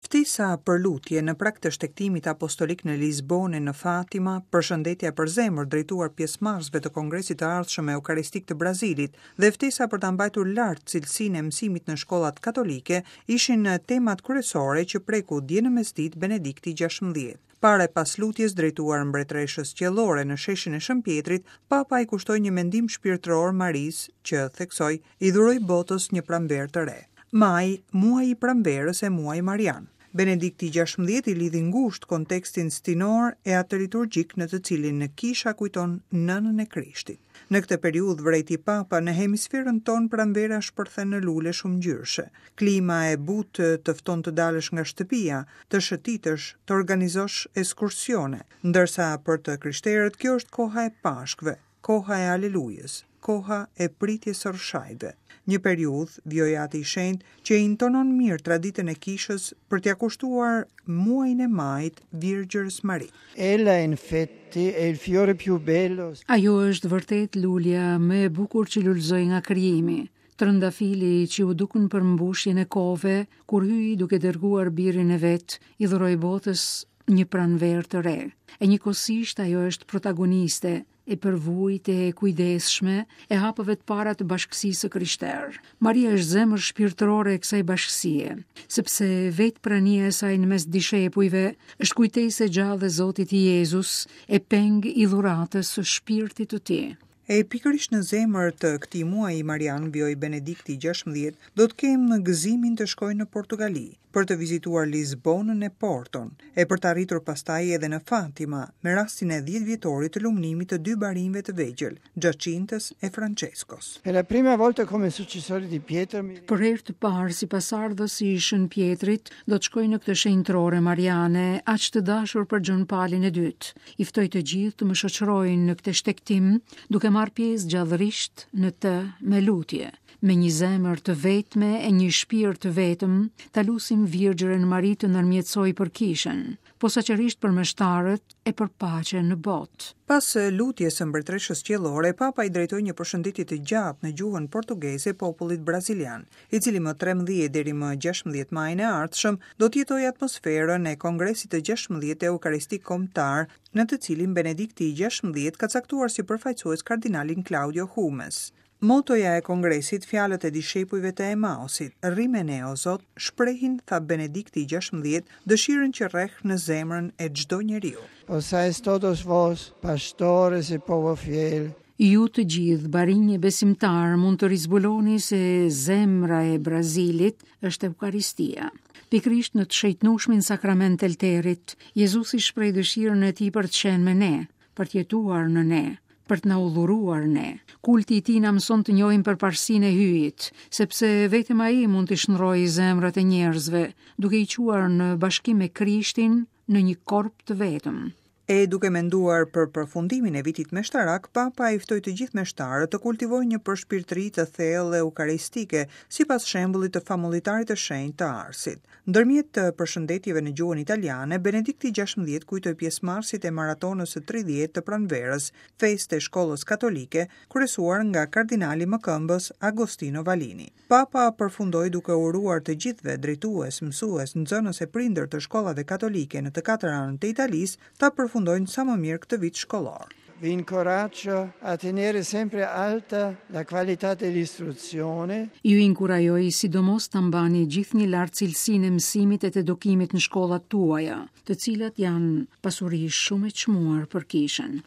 Ftesa për lutje në prag të shtegtimit apostolik në Lisbonë e në Fatima, përshëndetja e përzemërt drejtuar pjesëmarrësve të Kongresit të ardhshëm Eukaristik të Brazilit dhe ftesa për ta mbajtur lart cilësinë e mësimit në shkollat katolike ishin temat kryesore që preku dje në mesditë Benedikti 16. Para e pas lutjes drejtuar Mbretëreshës Qiellore në sheshin e Shën Pjetrit, Papa i kushtoi një mendim shpirtëror Marisë që, theksoi, i dhuroi botës një pranverë të re. Maj, muaji i pranverës e muaji marian. Benedikti 16 i lidhi ngushtë kontekstin stinor e atë liturgjik në të cilin kisha kujton Nënën e Krishtit. Në këtë periudhë vërejti Papa, në hemisferën tonë pranvera shpërthen në lule shumëngjyrëshe. Klima e butë të fton të dalësh nga shtëpia, të shëtitësh, të organizosh eskursione, ndërsa për të krishterët kjo është koha e Pashkëve, koha e Alelujës, koha e pritjes së Rrëshajve. Një periudhë, vijoi Ati i Shenjtë, që e intonon mirë traditën e Kishës për t'ia kushtuar muajin e majit Virgjërës Mari. Ella infatti è il fiore più bello. Ajo është vërtet lulja më e bukur që lulëzoi nga krijimi, trëndafili që u duk në përmbushjen e kohëve, kur Hyji duke dërguar birin e vet, i dhuroi botës një pranverë të re. E njëkohësisht ajo është protagoniste e përvujtë e kujdesshme e hapave të para të bashkësisë së krishterë. Maria është zemër shpirtërore e kësaj bashkësie, sepse vetë prania e saj në mes dishepujve është kujtesë e gjallë e Zotit Jezus e peng i dhuratës së shpirtit të tij. E pikërisht në zemër të këtij muaji marian, vijoi Benedikti 16, do të kem gëzimin të shkoj në Portugali, për të vizituar Lisbonën e Porton, e për të arritur pastaj edhe në Fatima, me rastin e dhjetëvjetorit të lumnimit të dy barinjve të vegjël, Xhaçintës e Françeskos. Per la prima volta come successore di Pietro mi. Për herë të parë si pasardhës i Shën Pjetrit, do të shkoj në këtë shenjtërore mariane, aq të dashur për Gjon Palin e Dytë. I ftoj të gjithë të më shoqërojnë në këtë shtegtim, duke marrë pjesë gjallërisht në të me lutje. Me një zemër të vetme e një shpirt të vetëm, ta lusim Virgjërën Mari të ndërmjetësojë për Kishën, posaçërisht për meshtarët e për paqen në botë. Pas lutjes së Mbretëreshës Qiellore, Papa i drejtoi një përshëndetje të gjatë në gjuhën portugeze popullit brazilian, i cili më 13 deri më 16 majin e ardhshëm do të jetojë atmosferën e Kongresit të 16 Eukaristik Kombëtar, në të cilin Benedikti i 16 ka caktuar si përfaqësues kardinalin Claudio Hummes. Motoja e Kongresit, fjalët e dishepujve të Emausit, Rri me ne, o Zot, shprehin, tha Benedikti i 16, dëshirën që rreh në zemrën e çdo njeriu. Posáis todos vos, pastores e povo fiel, Ju të gjithë, barinj e besimtarë, mund të rizbuloni se zemra e Brazilit është Eukaristia. Pikërisht në të shenjtnueshmin sakrament të Olterit, Jezusi shpreh dëshirën e tij për të qenë me ne, për të jetuar në ne, për të na u dhuruar ne. Kulti i tij na mëson të njohim përparësinë e Hyjit, sepse vetëm ai mund t'i shndërrojë zemrat e njerëzve, duke i çuar në bashkim me Krishtin në një korp të vetëm. E duke menduar për përfundimin e vitit meshtarak, Papa i ftoi të gjithë meshtarët të kultivojnë një përshpirtëri të thellë eukaristike, sipas shembullit të famullitarit të shenjtë të Arsit. Ndërmjet përshëndetjeve në gjuhën italiane, Benedikti 16 kujtoi pjesëmarrësit e maratonës së 30 të pranverës, festë e shkollës katolike, kryesuar nga kardinali mëkëmbës Agostino Vallini. Papa përfundoi duke uruar të gjithëve, drejtues, mësues, nxënës e prindër të shkollave katolike në të katër anët e Italisë, ta përfundojnë sa më mirë këtë vit shkollor. Vi incoraggio a tenere sempre alta la qualità dell'istruzione. Ju inkurajoj sidomos ta mbani gjithnjë lart cilësinë e mësimit e të edukimit në shkollat tuaja, të cilat janë pasuri shumë e çmuar për kishën.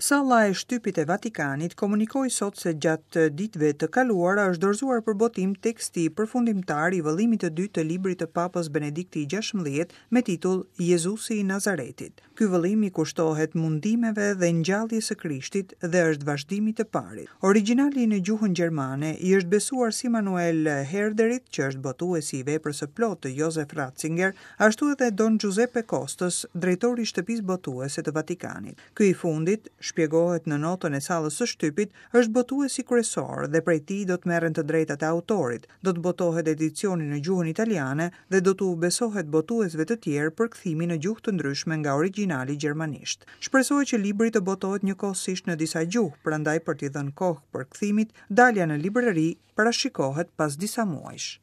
Salla e shtypit e Vatikanit komunikoi sot se gjatë ditëve të kaluara është dorëzuar për botim teksti përfundimtar i vëllimit të dytë të librit të Papës Benedikti XVI me titull Jezusi i Nazaretit. Ky vëllim i kushtohet mundimeve dhe ngjalljes së Krishtit dhe është vazhdim i të parit. Origjinali në gjuhën gjermane i është besuar si Manuel Herderit, që është botuesi i veprës së plotë të Josef Ratzinger, ashtu edhe Don Giuseppe Kostës, drejtori i Shtëpisë Botuese të Vatikanit. Ky i fundit, shpjegohet në notën e sallës së shtypit, është botuesi kryesor dhe prej tij do të merren të drejtat e autorit, do të botohet edicioni në gjuhën italiane dhe do t'u besohet botuesve të tjerë përkthimi në gjuhë të ndryshme nga origjinali gjermanisht. Shpresohet që libri të botohet njëkohësisht në disa gjuhë, prandaj për t'i dhënë kohë përkthimit, dalja në librari parashikohet pas disa muajsh.